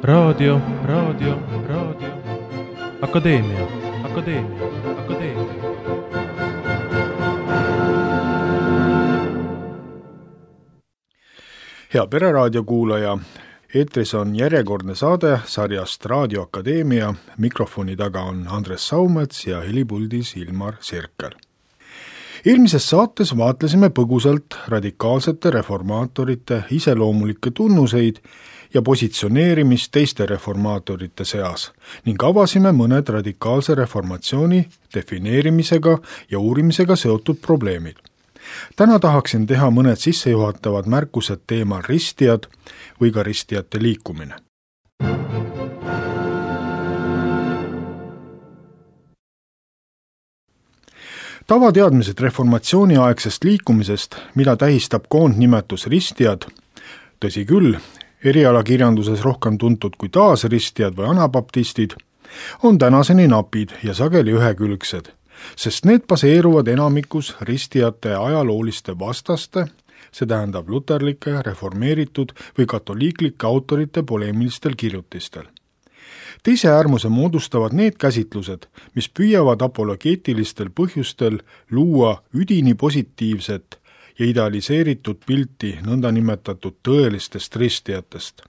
Raadio. Akadeemia. Hea Pereraadio kuulaja, eetris on järjekordne saade sarjast Raadio Akadeemia. Mikrofoni taga on Andres Saumets ja helipuldis Ilmar Sirkel. Eelmises saates vaatlesime põgusalt radikaalsete reformaatorite iseloomulikke tunnuseid ja positsioneerimist teiste reformaatorite seas ning avasime mõned radikaalse reformatsiooni defineerimisega ja uurimisega seotud probleemid. Täna tahaksin teha mõned sissejuhatavad märkused teemal ristijad või ka ristijate liikumine. Tavateadmised reformatsiooniaegsest liikumisest, mida tähistab koondnimetus ristijad, tõsi küll, erialakirjanduses rohkem tuntud kui taasristijad või anabaptistid, on tänaseni napid ja sageli ühekülgsed, sest need baseeruvad enamikus ristijate ajalooliste vastaste, see tähendab luterlike, reformeeritud või katoliiklike autorite poleemilistel kirjutistel. Teise äärmuse moodustavad need käsitlused, mis püüavad apologeetilistel põhjustel luua üdini positiivset ja idealiseeritud pilti nõndanimetatud tõelistest ristijatest,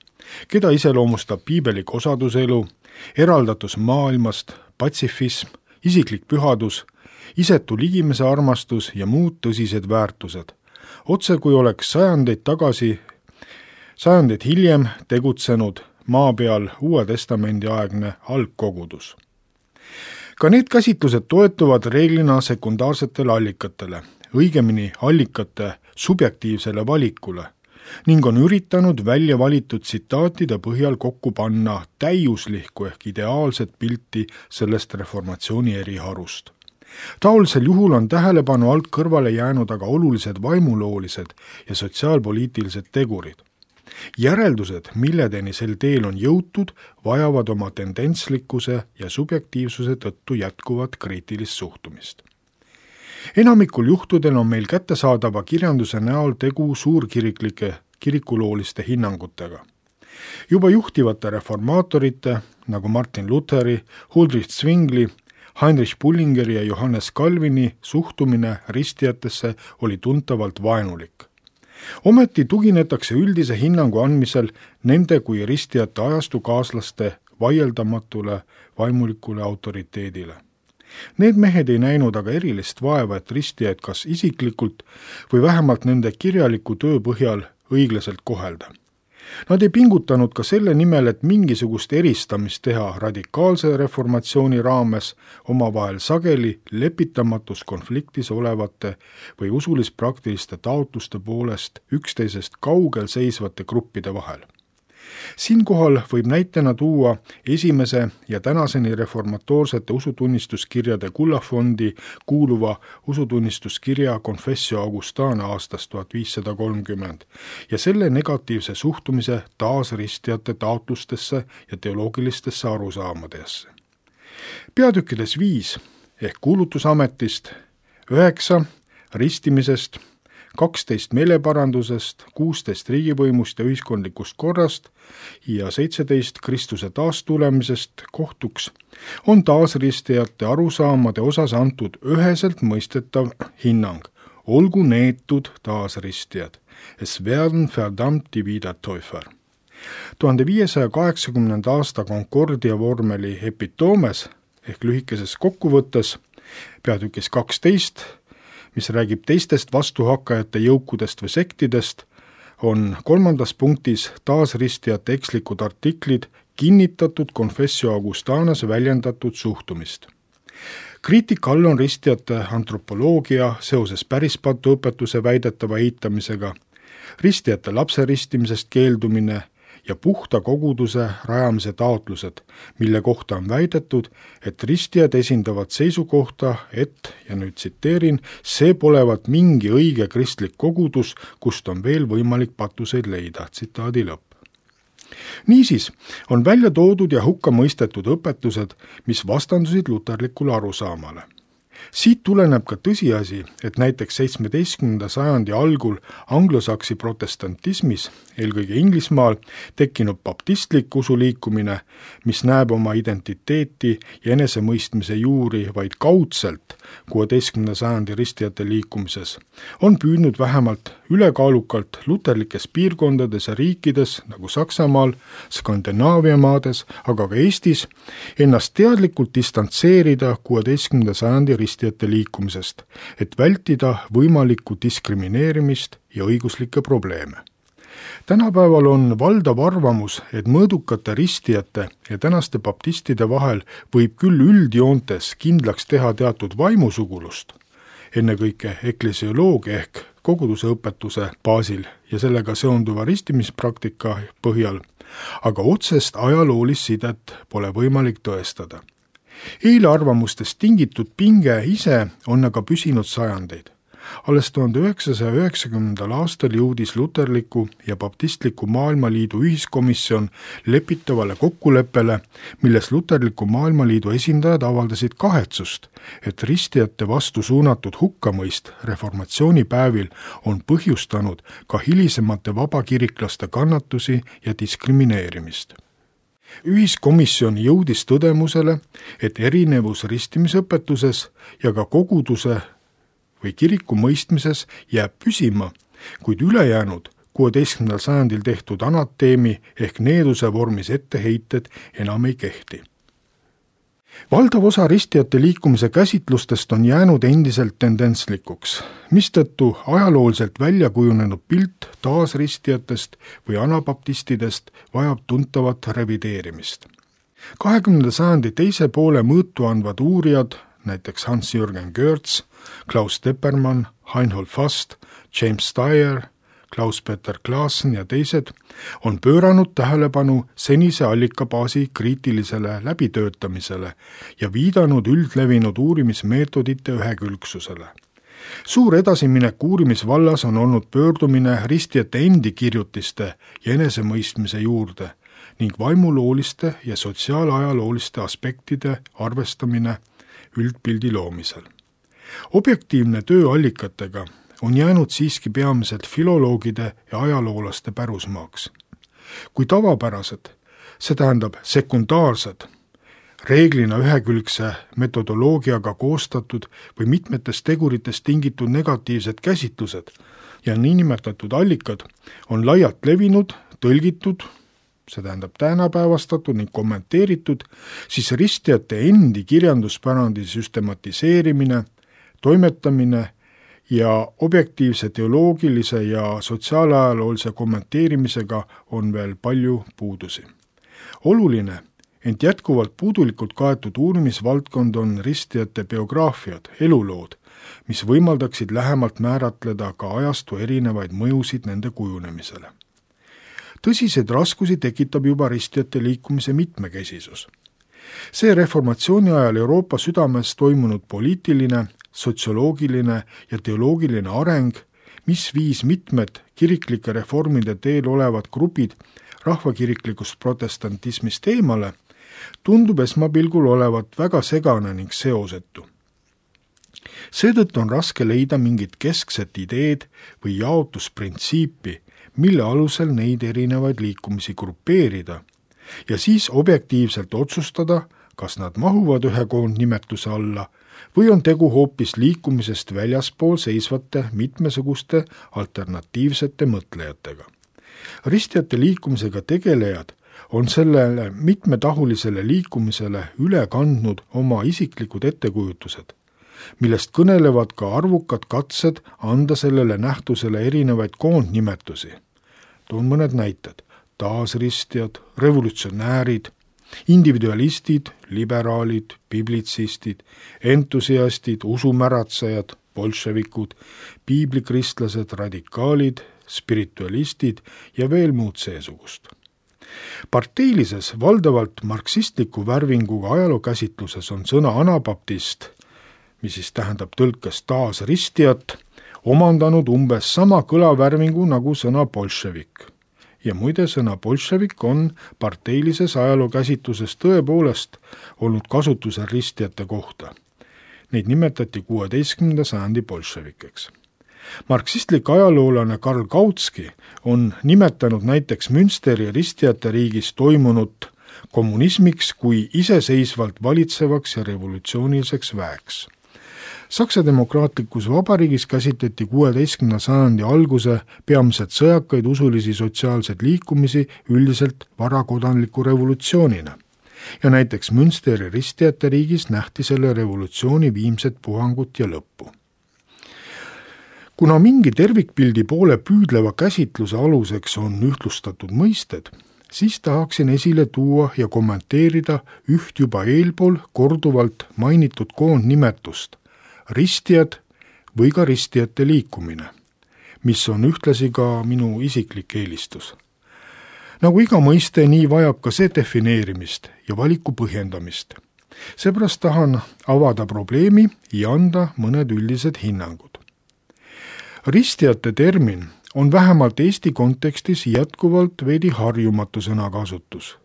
keda iseloomustab piibelik osaduselu, eraldatus maailmast, patsifism, isiklik pühadus, isetu ligimese armastus ja muud tõsised väärtused, otse kui oleks sajandeid hiljem tegutsenud maa peal Uue Testamendi aegne algkogudus. Ka need käsitlused toetuvad reeglina sekundaarsetele allikatele, õigemini allikate subjektiivsele valikule, ning on üritanud välja valitud tsitaatide põhjal kokku panna täiuslikku ehk ideaalset pilti sellest reformatsiooni eriharust. Taolisel juhul on tähelepanu alt kõrvale jäänud aga olulised vaimuloolised ja sotsiaalpoliitilised tegurid. Järeldused, milledeni sel teel on jõutud, vajavad oma tendentslikkuse ja subjektiivsuse tõttu jätkuvat kriitilist suhtumist. Enamikul juhtudel on meil kättesaadava kirjanduse näol tegu suurkiriklike kirikulooliste hinnangutega. Juba juhtivate reformaatorite, nagu Martin Lutheri, Huldrych Zwingli, Heinrich Bullingeri ja Johannes Calvini suhtumine ristijatesse oli tuntavalt vaenulik. Ometi tuginetakse üldise hinnangu andmisel nende kui ristijate ajastu kaaslaste vaieldamatule vaimulikule autoriteedile. Need mehed ei näinud aga erilist vaeva, et ristijaid kas isiklikult või vähemalt nende kirjaliku töö põhjal õiglaselt kohelda. Nad ei pingutanud ka selle nimel, et mingisugust eristamist teha radikaalse reformatsiooni raames omavahel sageli lepitamatus konfliktis olevate või usulis-praktiliste taotluste poolest üksteisest kaugel seisvate gruppide vahel. Siinkohal võib näitena tuua esimese ja tänaseni reformatoorsete usutunnistuskirjade kullafondi kuuluva usutunnistuskirja Confessio Augustana aastast 1530 ja selle negatiivse suhtumise taasristijate taotlustesse ja teoloogilistesse arusaamadesse. Peatükkides 5 ehk kuulutusametist, 9 ristimisest, 12 meeleparandusest, 16 riigivõimust ja ühiskondlikust korrast ja 17 Kristuse taastulemisest kohtuks on taasristijate arusaamade osas antud üheselt mõistetav hinnang. Olgu neetud taasristijad, es werden verdammt die Wiedertäufer. 1580. aasta Concordia vormeli epitoomes ehk lühikeses kokkuvõttes peatükis 12, mis räägib teistest vastuhakkajate jõukudest või sektidest, on 3. punktis taasristijate ekslikud artiklid kinnitatud Confessio Augustanas väljendatud suhtumist. Kriitika all on ristijate antropoloogia seoses pärispatuõpetuse väidetava eitamisega, ristijate lapseristimisest keeldumine ja puhta koguduse rajamise taotlused, mille kohta on väidetud, et ristijad esindavad seisukohta, et, ja nüüd tsiteerin, see polevat mingi õige kristlik kogudus, kust on veel võimalik patuseid leida, tsitaadi lõpp. Niisiis on välja toodud ja hukka mõistetud õpetused, mis vastandusid luterlikule arusaamale. Siit tuleneb ka tõsiasi, et näiteks 17. sajandi algul anglosaksi protestantismis, eelkõige Inglismaal, tekkinud baptistlik usuliikumine, mis näeb oma identiteeti ja enesemõistmise juuri vaid kaudselt 16. sajandi ristijate liikumises, on püüdnud vähemalt ülekaalukalt luterlikes piirkondades ja riikides nagu Saksamaal, Skandinaavia maades, aga ka Eestis ennast teadlikult distantseerida 16. sajandi ristijate liikumisest, et vältida võimalikku diskrimineerimist ja õiguslikke probleeme. Tänapäeval on valdav arvamus, et mõõdukate ristijate ja tänaste baptistide vahel võib küll üldjoontes kindlaks teha teatud vaimusugulust, ennekõike eklesioloogia ehk koguduse õpetuse baasil ja sellega seonduva ristimispraktika põhjal, aga otsest ajaloolist sidet pole võimalik tõestada. Eelarvamustest tingitud pinge ise on aga püsinud sajandeid. Alles 1990. aastal jõudis luterliku ja baptistliku maailmaliidu ühiskomisjon lepitavale kokkuleppele, milles luterliku maailmaliidu esindajad avaldasid kahetsust, et ristijate vastu suunatud hukkamõist reformatsioonipäevil on põhjustanud ka hilisemate vabakiriklaste kannatusi ja diskrimineerimist. Ühiskomisjon jõudis tõdemusele, et erinevus ristimisõpetuses ja ka koguduse või kiriku mõistmises jääb püsima, kuid ülejäänud 16. sajandil tehtud anateemi ehk needuse vormis etteheited enam ei kehti. Valdav osa ristijate liikumise käsitlustest on jäänud endiselt tendentslikuks, mistõttu ajalooliselt välja kujunenud pilt taasristijatest või anabaptistidest vajab tuntavat revideerimist. 20. sajandi teise poole mõõtu andvad uurijad, näiteks Hans-Jürgen Görz, Klaus Teppermann, Reinhold Fast, James Steyer, Klaus-Peter Klaassen ja teised on pööranud tähelepanu senise allikabaasi kriitilisele läbitöötamisele ja viidanud üldlevinud uurimismeetodite ühekülgsusele. Suur edasiminek uurimisvallas on olnud pöördumine ristijate endi kirjutiste ja enesemõistmise juurde ning vaimulooliste ja sotsiaalajalooliste aspektide arvestamine üldpildi loomisel. Objektiivne töö allikatega on jäänud siiski peamiselt filoloogide ja ajaloolaste pärusmaaks. Kui tavapärased, see tähendab sekundaarsed, reeglina ühekülgse metodoloogiaga koostatud või mitmetest teguritest tingitud negatiivsed käsitlused ja niinimetatud allikad on laialt levinud, tõlgitud, see tähendab tänapäevastatud ning kommenteeritud, siis ristijate endi kirjanduspärandi süstematiseerimine, toimetamine ja objektiivse teoloogilise ja sotsiaalajaloolise kommenteerimisega on veel palju puudusi. Oluline, ent jätkuvalt puudulikult kaetud uurimisvaldkond on ristijate biograafiad, elulood, mis võimaldaksid lähemalt määratleda ka ajastu erinevaid mõjusid nende kujunemisele. Tõsiseid raskusi tekitab juba ristijate liikumise mitmekesisus. See reformatsiooni ajal Euroopa südames toimunud poliitiline, sotsioloogiline ja teoloogiline areng, mis viis mitmed kiriklike reformide teel olevad grupid rahvakiriklikust protestantismist eemale, tundub esmapilgul olevat väga segane ning seosetu. Seetõttu on raske leida mingit keskset ideed või jaotusprintsiipi, mille alusel neid erinevaid liikumisi grupeerida ja siis objektiivselt otsustada, kas nad mahuvad ühe koondnimetuse alla või on tegu hoopis liikumisest väljaspool seisvate mitmesuguste alternatiivsete mõtlejatega. Ristijate liikumisega tegelejad on sellele mitmetahulisele liikumisele üle kandnud oma isiklikud ettekujutused, millest kõnelevad ka arvukad katsed anda sellele nähtusele erinevaid koondnimetusi. Toon mõned näited: taasristjad, revolutsionäärid, individualistid, liberaalid, biblitsistid, entusiastid, usumäratsejad, bolševikud, piiblikristlased, radikaalid, spiritualistid ja veel muud seesugust. Parteilises, valdavalt marksistliku värvinguga ajalookäsitluses on sõna anabaptist, mis siis tähendab tõlkes taasristjat, omandanud umbes sama kõlavärvingu nagu sõna bolševik. Ja muide, sõna bolševik on parteilises ajalookäsitluses tõepoolest olnud kasutusel ristijate kohta. Neid nimetati 16. sajandi bolševikeks. Marksistlik ajaloolane Karl Kautsky on nimetanud näiteks Münsteri ristijate riigis toimunut kommunismiks kui iseseisvalt valitsevaks ja revolutsiooniliseks väeks. Saksa demokraatlikus vabariigis käsitleti 16. sajandi alguse peamiselt sõjakaid usulisi sotsiaalseid liikumisi üldiselt varakodanliku revolutsioonina. Ja näiteks Münsteri ristijate riigis nähti selle revolutsiooni viimset puhangut ja lõppu. Kuna mingi tervikpildi poole püüdleva käsitluse aluseks on ühtlustatud mõisted, siis tahaksin esile tuua ja kommenteerida üht juba eelpool korduvalt mainitud koondnimetust, ristijad või ka ristijate liikumine, mis on ühtlasi ka minu isiklik eelistus. Nagu iga mõiste, nii vajab ka see defineerimist ja valiku põhjendamist. Seepärast tahan avada probleemi ja anda mõned üldised hinnangud. Ristijate termin on vähemalt Eesti kontekstis jätkuvalt veidi harjumatu sõnakasutus.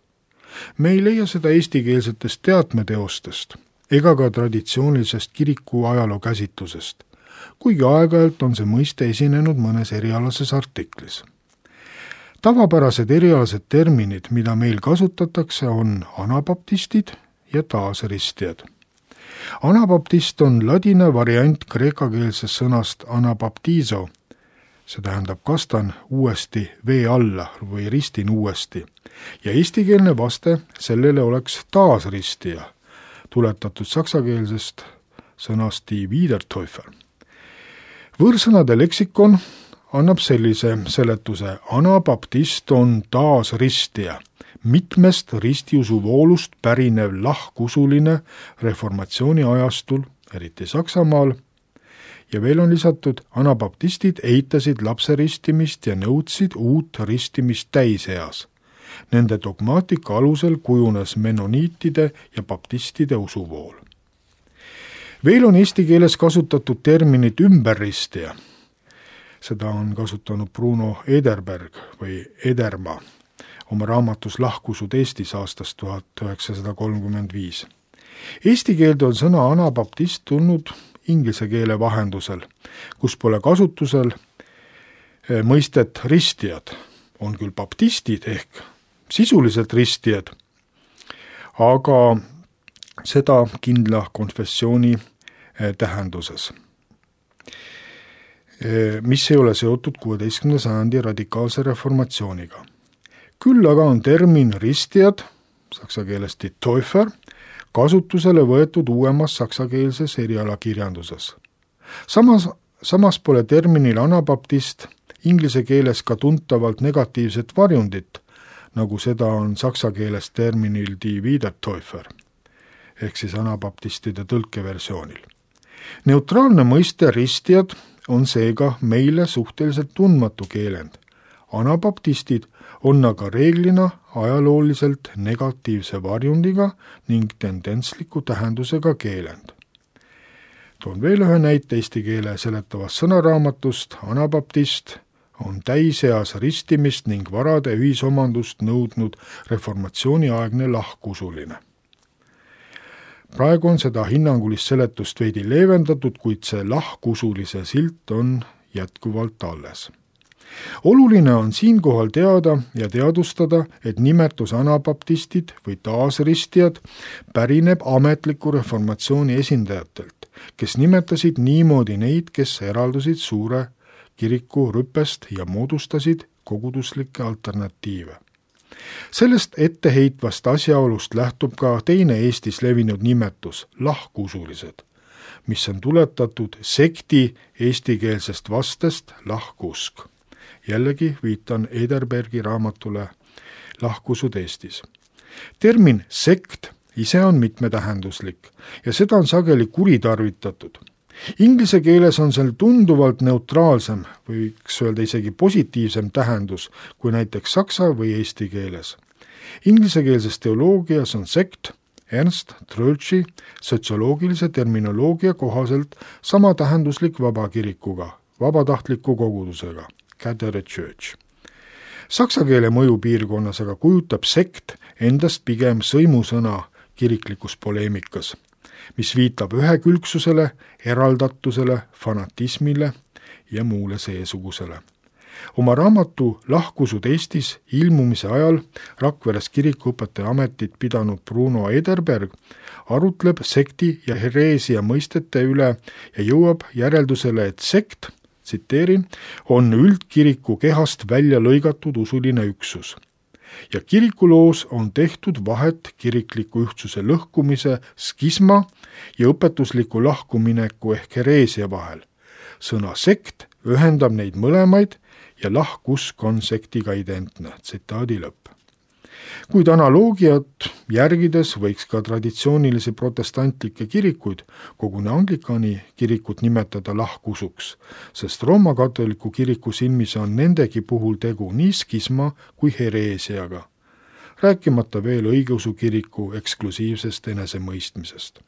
Me ei leia seda eestikeelsetest teatmeteostest ega ka traditsioonilisest kiriku ajaloo käsitlusest, kuigi aeg-ajalt on see mõiste esinenud mõnes erialases artiklis. Tavapärased erialased terminid, mida meil kasutatakse, on anabaptistid ja taasristijad. Anabaptist on ladina variant kreekakeelsest sõnast anabaptizo, see tähendab kastan uuesti vee alla või ristin uuesti, ja eestikeelne vaste sellele oleks taasristija, tuletatud saksakeelsest sõnast die Wiedertäufer. Võõrsõnade leksikon annab sellise seletuse: anabaptist on taasristija, mitmest ristiusuvoolust pärinev lahkusuline reformatsiooni ajastul, eriti Saksamaal, ja veel on lisatud, anabaptistid eitasid lapseristimist ja nõudsid uut ristimist täiseas. Nende dogmaatika alusel kujunes menoniitide ja baptistide usuvool. Veel on eesti keeles kasutatud terminit ümberristija. Seda on kasutanud Bruno Ederberg või Ederma oma raamatus Lahkusud Eestis aastast 1935. Eesti keelde on sõna anabaptist tulnud inglise keele vahendusel, kus pole kasutusel mõistet ristijad. On küll baptistid ehk sisuliselt ristijad, aga seda kindla konfessiooni tähenduses, mis ei ole seotud 16. sajandi radikaalse reformatsiooniga. Küll aga on termin ristijad, saksa keeles die Täufer, kasutusele võetud uuemas saksakeelses erialakirjanduses. Samas pole terminil anabaptist inglise keeles ka tuntavalt negatiivset varjundit, nagu seda on saksa keeles terminil die Wiedertäufer, ehk siis anabaptistide tõlkeversioonil. Neutraalne mõiste ristijad on seega meile suhteliselt tundmatu keelend. Anabaptistid on aga reeglina ajalooliselt negatiivse varjundiga ning tendentsliku tähendusega keelend. Toon veel ühe näite eesti keele seletavast sõnaraamatust. Anabaptist on täiseas ristimist ning varade ühisomandust nõudnud reformatsiooniaegne lahkusuline. Praegu on seda hinnangulist seletust veidi leevendatud, kuid see lahkusulise silt on jätkuvalt alles. Oluline on siinkohal teada ja teadustada, et nimetus anabaptistid või taasristijad pärineb ametliku reformatsiooni esindajatelt, kes nimetasid niimoodi neid, kes eraldusid suure kiriku rüppest ja moodustasid koguduslikke alternatiive. Sellest etteheitvast asjaolust lähtub ka teine Eestis levinud nimetus, lahkusulised, mis on tuletatud sekti eestikeelsest vastest lahkuusk. Jällegi viitan Ederbergi raamatule Lahkusud Eestis. Termin sekt ise on mitmetähenduslik ja seda on sageli kuritarvitatud. Inglise keeles on sel tunduvalt neutraalsem, võiks öelda isegi positiivsem tähendus kui näiteks saksa või eesti keeles. Inglisekeelses teoloogias on sekt Ernst Troeltši sotsioloogilise terminoloogia kohaselt sama tähenduslik vabakirikuga, vabatahtliku kogudusega, Catholic Church. Saksa keele mõjupiirkonnas aga kujutab sekt endast pigem sõimusõna kiriklikus poleemikas. mis viitab ühekülgsusele, eraldatusele, fanatismile ja muule seesugusele. Oma raamatu Lahkusud Eestis ilmumise ajal Rakveres kirikuõpetaja ametit pidanud Bruno Ederberg arutleb sekti ja hereesia mõistete üle ja jõuab järeldusele, et sekt, tsiteerin, on üldkiriku kehast välja lõigatud usuline üksus. Ja kirikuloos on tehtud vahet kirikliku ühtsuse lõhkumise skisma ja õpetusliku lahkumineku ehk hereesia vahel. Sõna sekt ühendab neid mõlemaid ja lahkusk on sektiga identne, tsitaadi lõpp. Kuid analoogiat järgides võiks ka traditsioonilisi protestantlikke kirikuid, koguni Anglikani kirikut nimetada lahkusuks, sest Rooma katoliku kiriku silmis on nendegi puhul tegu nii skisma kui hereesiaga, rääkimata veel õigeusu kiriku eksklusiivsest enesemõistmisest.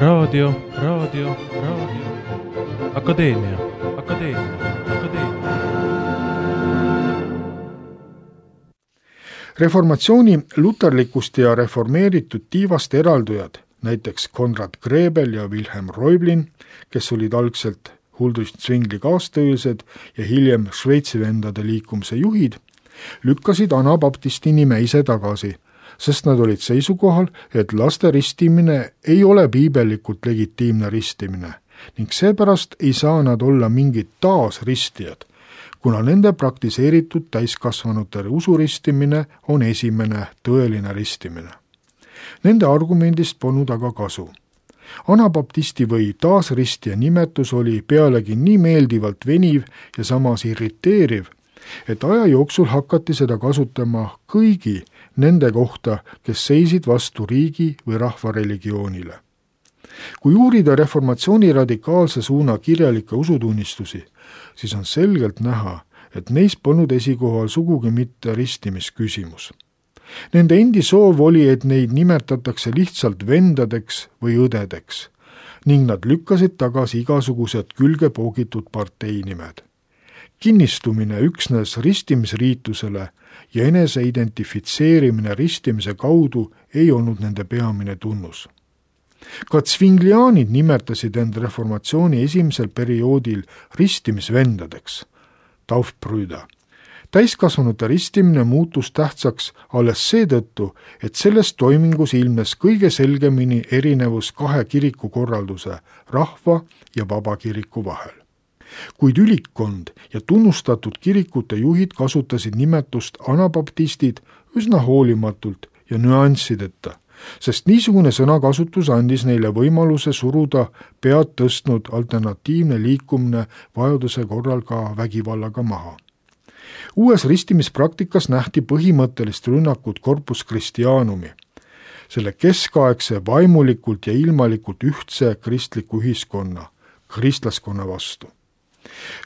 Raadio. Akadeemia. Reformatsiooni luterlikust ja reformeeritud tiivast eraldujad, näiteks Konrad Grebel ja Wilhelm Reublin, kes olid algselt Huldrych Zwingli kaastöölised ja hiljem Šveitsi vendade liikumise juhid, lükkasid anabaptisti nime ise tagasi, sest nad olid seisukohal, et laste ristimine ei ole piibellikult legitiimne ristimine ning seepärast ei saa nad olla mingid taasristijad, kuna nende praktiseeritud täiskasvanute usuristimine on esimene tõeline ristimine. Nende argumendist polnud aga kasu. Anabaptisti või taasristija nimetus oli pealegi nii meeldivalt veniv ja samas irriteeriv, et aja jooksul hakati seda kasutama kõigi nende kohta, kes seisid vastu riigi või rahva religioonile. Kui uurida reformatsiooni radikaalse suuna kirjalikke usutunnistusi, siis on selgelt näha, et neis polnud esikohal sugugi mitte ristimisküsimus. Nende endi soov oli, et neid nimetatakse lihtsalt vendadeks või õdedeks, ning nad lükkasid tagasi igasugused külge poogitud parteinimed. Kinnistumine üksnes ristimisriitusele ja enese identifitseerimine ristimise kaudu ei olnud nende peamine tunnus. Ka Zwinglianid nimetasid end reformatsiooni esimesel perioodil ristimisvendadeks, Taufbrüder. Täiskasvanute ristimine muutus tähtsaks alles seetõttu, et selles toimingus ilmnes kõige selgemini erinevus kahe kirikukorralduse, rahva ja vabakiriku vahel. Kuid ülikkond ja tunnustatud kirikute juhid kasutasid nimetust anabaptistid üsna hoolimatult ja nüanssideta, sest niisugune sõnakasutus andis neile võimaluse suruda pead tõstnud alternatiivne liikumine vajaduse korral ka vägivallaga maha. Uues ristimispraktikas nähti põhimõttelist rünnakut Corpus Christianumi, selle keskaegse vaimulikult ja ilmalikult ühtse kristliku ühiskonna, kristlaskonna vastu.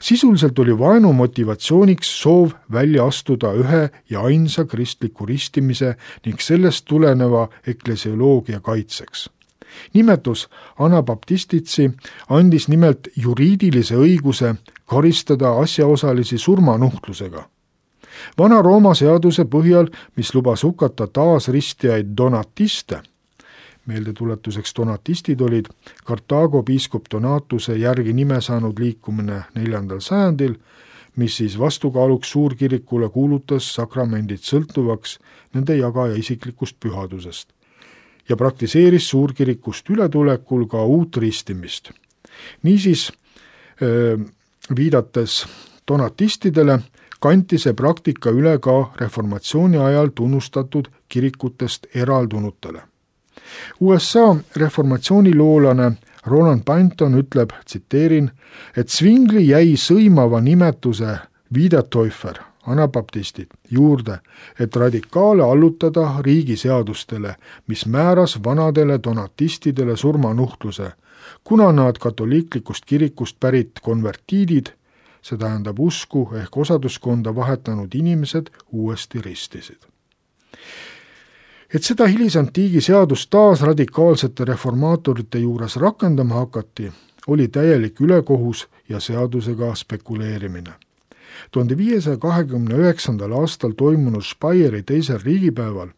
Sisuliselt oli vaenu motivatsiooniks soov välja astuda ühe ja ainsa kristliku ristimise ning sellest tuleneva eklesioloogia kaitseks. Nimetus anabaptistitsi andis nimelt juriidilise õiguse karistada asjaosalisi surmanuhtlusega. Vana-Rooma seaduse põhjal, mis lubas hukata taasristijaid donatiste, meeldetuletuseks donatistid olid Kartaago piiskop Donatuse järgi nime saanud liikumine 4. sajandil, mis siis vastukaaluks suurkirikule kuulutas sakramendid sõltuvaks nende jagaja isiklikust pühadusest ja praktiseeris suurkirikust ületulekul ka uut ristimist. Niisiis, viidates donatistidele, kanti see praktika üle ka reformatsiooni ajal tunnustatud kirikutest eraldunutele. USA reformatsiooniloolane Roland Panton ütleb, tsiteerin, et Zwingli jäi sõimava nimetuse Wiedertäufer, anabaptistid, juurde, et radikaale allutada riigiseadustele, mis määras vanadele donatistidele surmanuhtluse, kuna nad katoliiklikust kirikust pärit konvertiidid, see tähendab usku ehk osaduskonda vahetanud inimesed, uuesti ristisid. Et seda hilisantiigi seadust taas radikaalsete reformaatorite juures rakendama hakati, oli täielik ülekohus ja seadusega spekuleerimine. 1529. aastal toimunud Speyeri teisel riigipäeval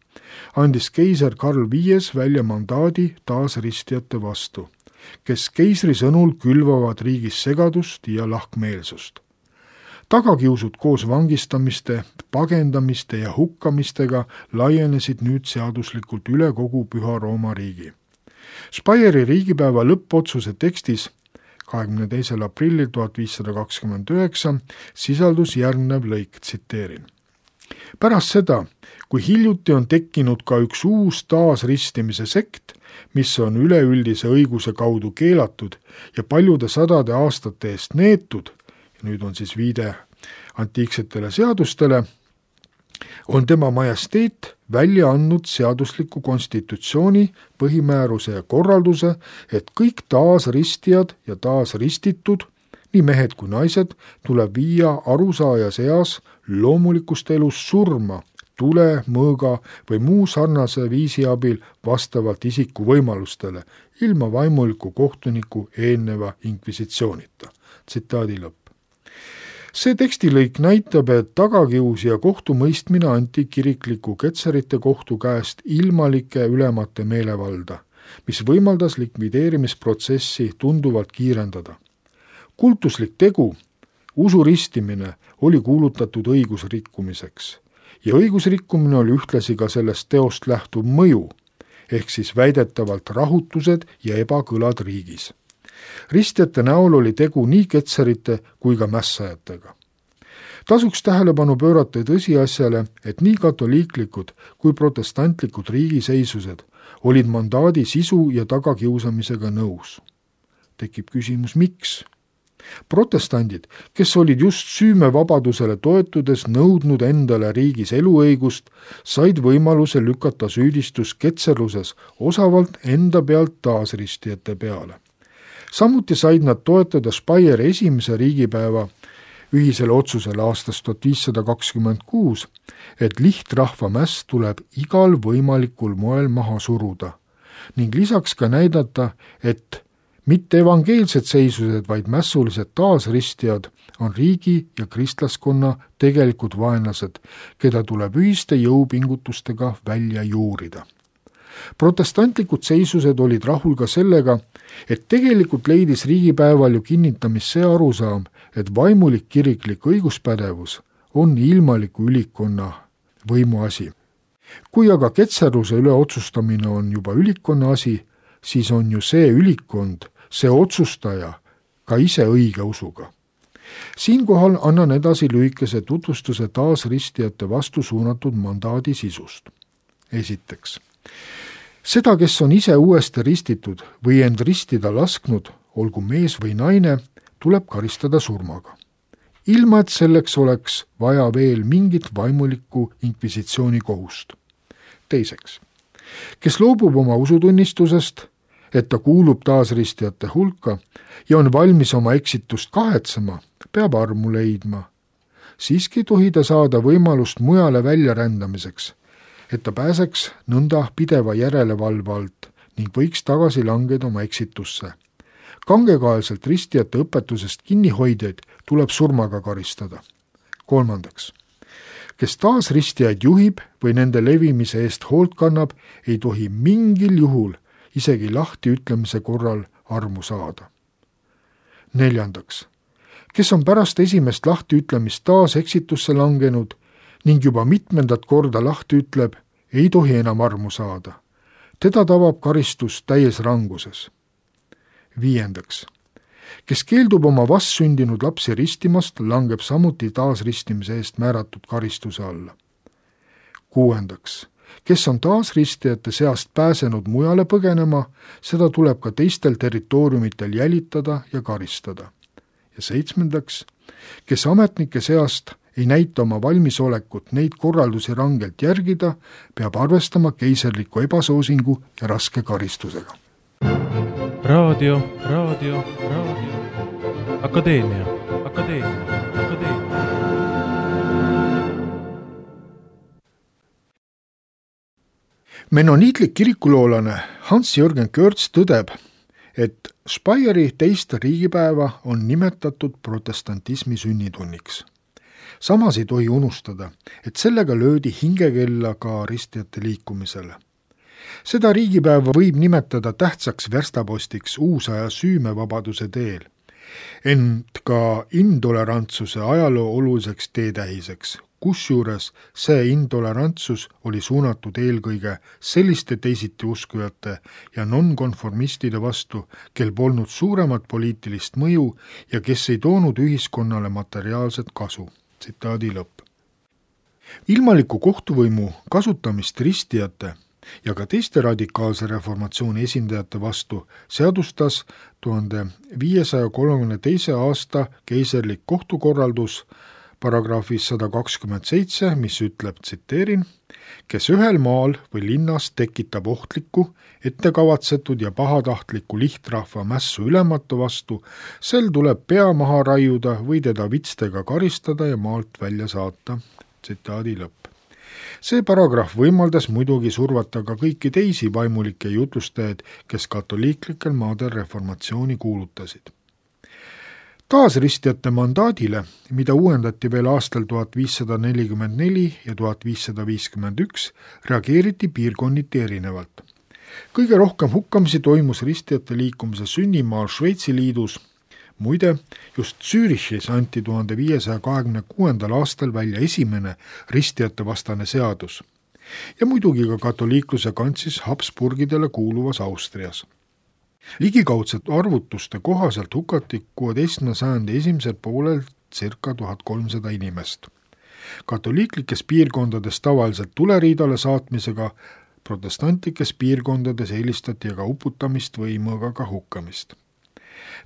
andis keiser Karl V välja mandaadi taasristijate vastu, kes keisri sõnul külvavad riigis segadust ja lahkmeelsust. Tagakiusud koos vangistamiste, pagendamiste ja hukkamistega laienesid nüüd seaduslikult üle kogu Püha Rooma riigi. Speyeri riigipäeva lõppotsuse tekstis 22. aprillil 1529 sisaldus järgnev lõik, tsiteerin. Pärast seda, kui hiljuti on tekkinud ka üks uus taasristimise sekt, mis on üleüldise õiguse kaudu keelatud ja paljude sadade aastate eest neetud, nüüd on siis viide antiiksetele seadustele, on tema majesteet välja andnud seadusliku konstitutsiooni, põhimääruse ja korralduse, et kõik taasristijad ja taasristitud, nii mehed kui naised, tuleb viia arusaajas eas loomulikust elust surma, tule, mõõga või muu sarnase viisi abil vastavalt isiku võimalustele, ilma vaimuliku kohtuniku eelneva inkvisitsioonita. Tsitaadi lõpp. See tekstilõik näitab, et tagakius ja kohtumõistmine anti kirikliku ketserite kohtu käest ilmalike ülemate meelevalda, mis võimaldas likvideerimisprotsessi tunduvalt kiirendada. Kultuslik tegu, usuristimine, oli kuulutatud õigusrikkumiseks ja õigusrikkumine oli ühtlasi ka sellest teost lähtuv mõju, ehk siis väidetavalt rahutused ja ebakõlad riigis. Ristjate näol oli tegu nii ketserite kui ka mässajatega. Tasuks tähelepanu pöörata tõsiasjale, et nii katoliiklikud kui protestantlikud riigiseisused olid mandaadi sisu ja tagakiusamisega nõus. Tekib küsimus, miks? Protestandid, kes olid just süümevabadusele toetudes nõudnud endale riigis eluõigust, said võimaluse lükata süüdistus ketserluses osavalt enda pealt taasristijate peale. Samuti said nad toetada Speyeri esimese riigipäeva ühisele otsusele aastast 1526, et lihtrahvamäss tuleb igal võimalikul moel maha suruda ning lisaks ka näidata, et mitte evangeelsed seisused, vaid mässulised taasristijad on riigi ja kristlaskonna tegelikud vaenlased, keda tuleb ühiste jõupingutustega välja juurida. Protestantlikud seisused olid rahul ka sellega, et tegelikult leidis riigipäeval ju kinnitamist see arusaam, et vaimulik kiriklik õiguspädevus on ilmaliku ülikonna võimuasi. Kui aga ketserluse üle otsustamine on juba ülikonna asi, siis on ju see ülikond, see otsustaja ka ise õige usuga. Siinkohal annan edasi lühikese tutvustuse taasristijate vastu suunatud mandaadi sisust. Esiteks, seda, kes on ise uuesti ristitud või end ristida lasknud, olgu mees või naine, tuleb karistada surmaga. Ilma, et selleks oleks vaja veel mingit vaimulikku inkvisitsiooni kohust. Teiseks, kes loobub oma usutunnistusest, et ta kuulub taasristijate hulka ja on valmis oma eksitust kahetsema, peab armu leidma. Siiski ei tohi ta saada võimalust mujale väljarändamiseks, et ta pääseks nõnda pideva järelevalve alt ning võiks tagasi langeda oma eksitusse. Kangekaelselt ristijate õpetusest kinnihoidjaid tuleb surmaga karistada. Kolmandaks, kes taasristijaid juhib või nende levimise eest hoolt kannab, ei tohi mingil juhul isegi lahti ütlemise korral armu saada. Neljandaks, kes on pärast esimest lahti ütlemist taas eksitusse langenud ning juba mitmendat korda lahti ütleb, ei tohi enam armu saada. Teda tabab karistus täies ranguses. Viiendaks, kes keeldub oma vastsündinud lapsi ristimast, langeb samuti taasristimise eest määratud karistuse alla. Kuuendaks, kes on taasristijate seast pääsenud mujale põgenema, seda tuleb ka teistel territooriumitel jälitada ja karistada. Ja seitsmendaks, kes ametnike seast ei näita oma valmisolekut neid korraldusi rangelt järgida, peab arvestama keiserliku ebasoosingu ja raske karistusega. Raadio. Akadeemia. Menoniitlik kirikuloolane Hans-Jürgen Körts tõdeb, et Speyeri teist riigipäeva on nimetatud protestantismi sünnitunniks. Samas ei tohi unustada, et sellega löödi hingekella ka ristijate liikumisele. Seda riigipäeva võib nimetada tähtsaks verstapostiks uusaja süümevabaduse teel, ent ka intolerantsuse ajaloo oluliseks teetähiseks, kusjuures see intolerantsus oli suunatud eelkõige selliste teisitiuskujate ja nonkonformistide vastu, kel polnud suuremat poliitilist mõju ja kes ei toonud ühiskonnale materiaalset kasu. Tsitaadi lõpp. Ilmaliku kohtuvõimu kasutamist ristijate ja ka teiste radikaalse reformatsiooni esindajate vastu seadustas 1532. aasta keiserlik kohtukorraldus paragrahvis 127, mis ütleb, tsiteerin, kes ühel maal või linnas tekitab ohtlikku, ettekavatsetud ja pahatahtliku lihtrahva mässu ülematu vastu, sel tuleb pea maha raiuda või teda vitstega karistada ja maalt välja saata. Tsitaadi lõpp. See paragrahv võimaldas muidugi survata ka kõiki teisi vaimulikke jutlustajaid, kes katoliiklikel maadel reformatsiooni kuulutasid. Taasristijate mandaadile, mida uuendati veel aastal 1544 ja 1551, reageeriti piirkonniti erinevalt. Kõige rohkem hukkamisi toimus ristijate liikumise sünnimaal Šveitsi liidus. Muide, just Zürichis anti 1526. aastal välja esimene ristijate vastane seadus ja muidugi ka katoliikluse kantsis Habsburgidele kuuluvas Austrias. Ligikaudsete arvutuste kohaselt hukati 16. sajandi esimesel poolel circa 1300 inimest. Katoliiklikes piirkondades tavaliselt tuleriidale saatmisega, protestantlikes piirkondades eelistati aga uputamist või mõõgaga hukkamist.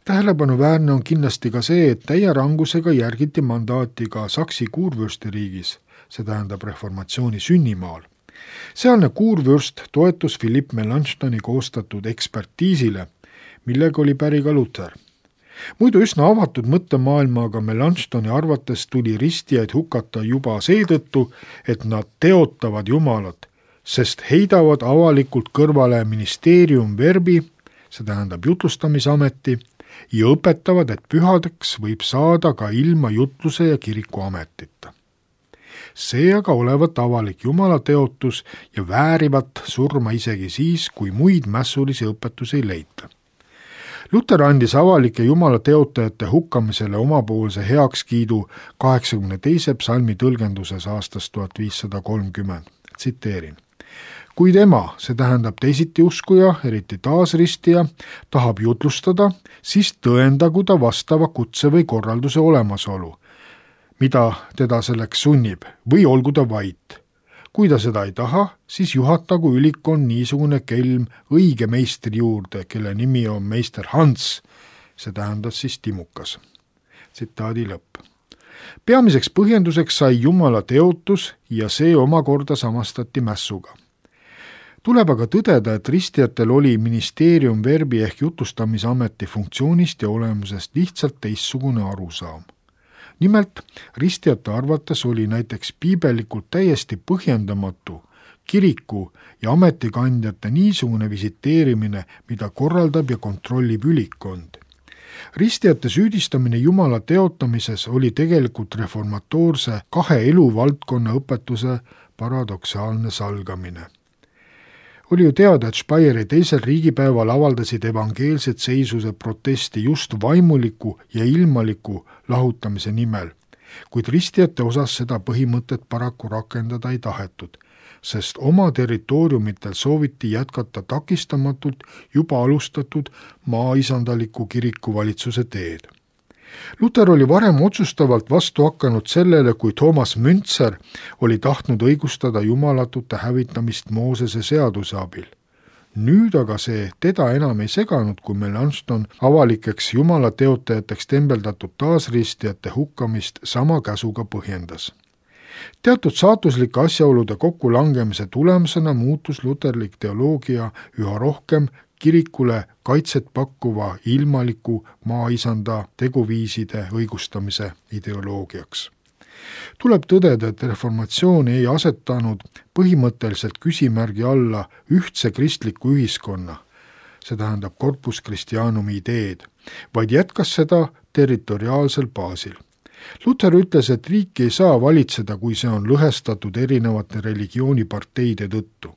Tähelepanuväärne on kindlasti ka see, et täie rangusega järgiti mandaati ka Saksi kuurvürstiriigis, see tähendab reformatsiooni sünnimaal. Sealne kuurvürst toetus Philipp Melanchthoni koostatud ekspertiisile, millega oli päri ka Luther. Muidu üsna avatud mõttemaailmaga Melanchthoni arvates tuli ristijaid hukata juba seetõttu, et nad teotavad Jumalat, sest heidavad avalikult kõrvale ministeerium verbi, see tähendab jutlustamisameti, ja õpetavad, et pühadeks võib saada ka ilma jutluse ja kirikuametita. See aga olevat avalik jumalateotus ja väärivat surma isegi siis, kui muid mässulisi õpetusi ei leita. Luter andis avalike jumalateotajate hukkamisele omapoolse heakskiidu 82. psalmi tõlgenduses aastast 1530. Tsiteerin. Kui tema, see tähendab teisiti uskuja, eriti taasristija, tahab jutlustada, siis tõendagu ta vastava kutse või korralduse olemasolu, mida teda selleks sunnib, või olgu ta vait. Kui ta seda ei taha, siis juhatagu ülikond niisugune kelm õige meistri juurde, kelle nimi on meister Hans, see tähendab siis timukas. Tsitaadi lõpp. Peamiseks põhjenduseks sai Jumala teotus ja see omakorda samastati mässuga. Tuleb aga tõdeda, et ristijatel oli ministeerium verbi ehk jutlustamisameti funktsioonist ja olemusest lihtsalt teistsugune arusaam. Nimelt, ristijate arvates oli näiteks piibelikult täiesti põhjendamatu kiriku ja ametikandjate niisugune visiteerimine, mida korraldab ja kontrollib ülikond. Ristijate süüdistamine Jumala teotamises oli tegelikult reformatoorse kahe eluvaldkonna õpetuse paradoksaalne salgamine. Oli ju teada, et Speyeri teisel riigipäeval avaldasid evangeelsed seisuse protesti just vaimuliku ja ilmaliku lahutamise nimel, kuid ristijate osas seda põhimõtet paraku rakendada ei tahetud, sest oma territooriumitel sooviti jätkata takistamatult juba alustatud maaisandaliku kirikuvalitsuse teed. Luter oli varem otsustavalt vastu hakanud sellele, kui Thomas Müntzer oli tahtnud õigustada jumalatute hävitamist Moosese seaduse abil. Nüüd aga see teda enam ei seganud, kui Melanchthon avalikeks jumalateotajateks tembeldatud taasristijate hukkamist sama käsuga põhjendas. Teatud saatuslike asjaolude kokkulangemise tulemusena muutus luterlik teoloogia üha rohkem kirikule kaitset pakkuva ilmaliku maaisanda teguviiside õigustamise ideoloogiaks. Tuleb tõdeda, et reformatsioon ei asetanud põhimõtteliselt küsimärgi alla ühtse kristliku ühiskonna, see tähendab corpus Christianumi ideed, vaid jätkas seda territoriaalsel baasil. Luter ütles, et riiki ei saa valitseda, kui see on lõhestatud erinevate religiooniparteide tõttu.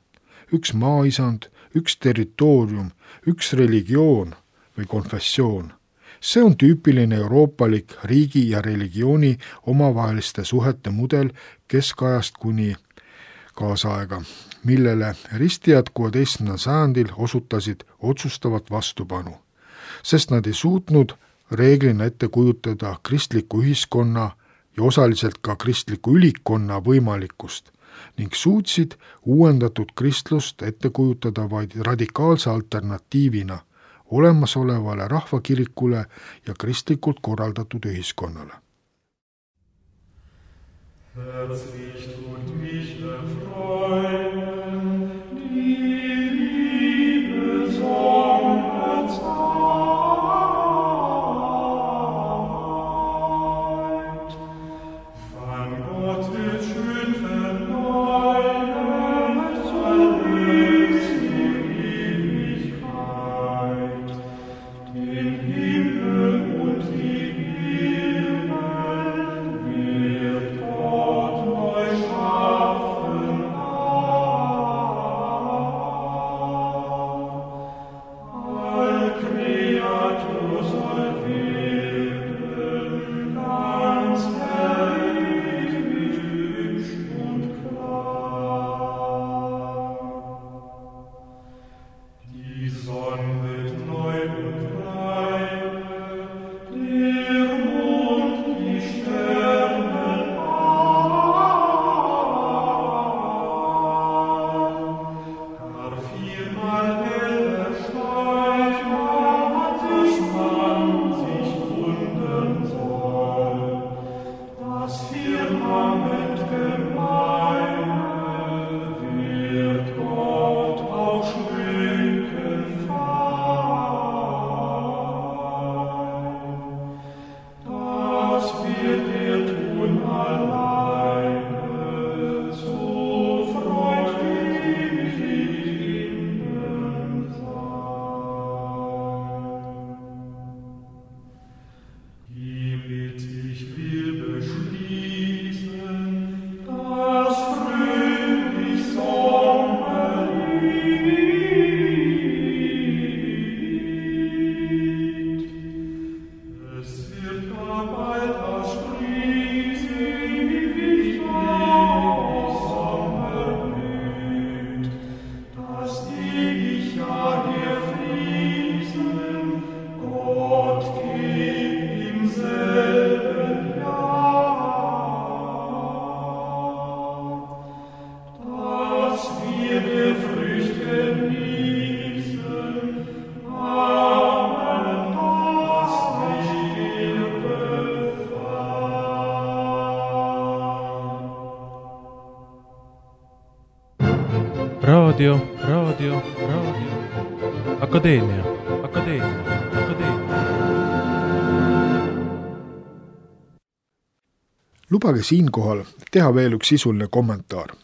Üks maaisand, üks territoorium, üks religioon või konfessioon. See on tüüpiline euroopalik riigi ja religiooni omavaheliste suhete mudel keskajast kuni kaasaega, millele ristijad 16. sajandil osutasid otsustavat vastupanu, sest nad ei suutnud reeglina ette kujutada kristliku ühiskonna ja osaliselt ka kristliku ülikonna võimalikkust ning suutsid uuendatud kristlust ette kujutada vaid radikaalse alternatiivina olemasolevale rahvakirikule ja kristlikult korraldatud ühiskonnale. Wird Gott neu schaffen. Raadio. Akadeemia. Lubage siinkohal teha veel üks sisuline kommentaar.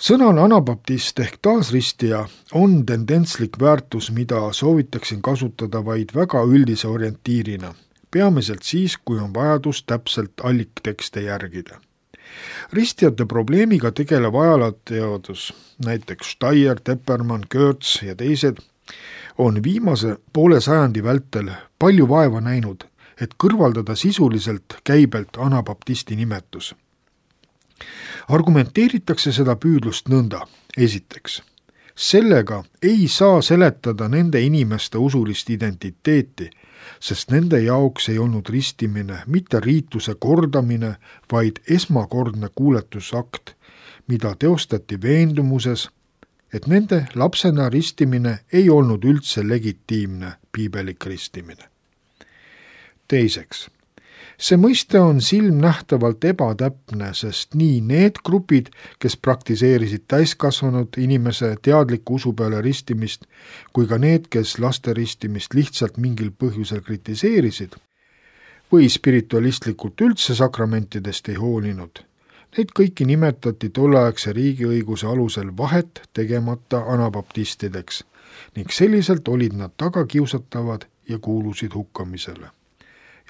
Sõnal anabaptist ehk taasristija on tendentslik väärtus, mida soovitaksin kasutada vaid väga üldise orientiirina, peamiselt siis, kui on vajadus täpselt alliktekste järgida. Ristijate probleemiga tegelev ajalooteadus, näiteks Steyer, Teppermann, Goertz ja teised, on viimase poole sajandi vältel palju vaeva näinud, et kõrvaldada sisuliselt käibelt anabaptisti nimetus. Argumenteeritakse seda püüdlust nõnda. Esiteks, sellega ei saa seletada nende inimeste usulist identiteeti, sest nende jaoks ei olnud ristimine mitte riituse kordamine, vaid esmakordne kuuletusakt, mida teostati veendumuses, et nende lapsena ristimine ei olnud üldse legitiimne piibelik ristimine. Teiseks, see mõiste on silmnähtavalt ebatäpne, sest nii need grupid, kes praktiseerisid täiskasvanud inimese teadliku usu peale ristimist, kui ka need, kes laste ristimist lihtsalt mingil põhjusel kritiseerisid või spiritualistlikult üldse sakramentidest ei hoolinud, neid kõiki nimetati tolleaegse riigiõiguse alusel vahet tegemata anabaptistideks ning selliselt olid nad tagakiusatavad ja kuulusid hukkamisele.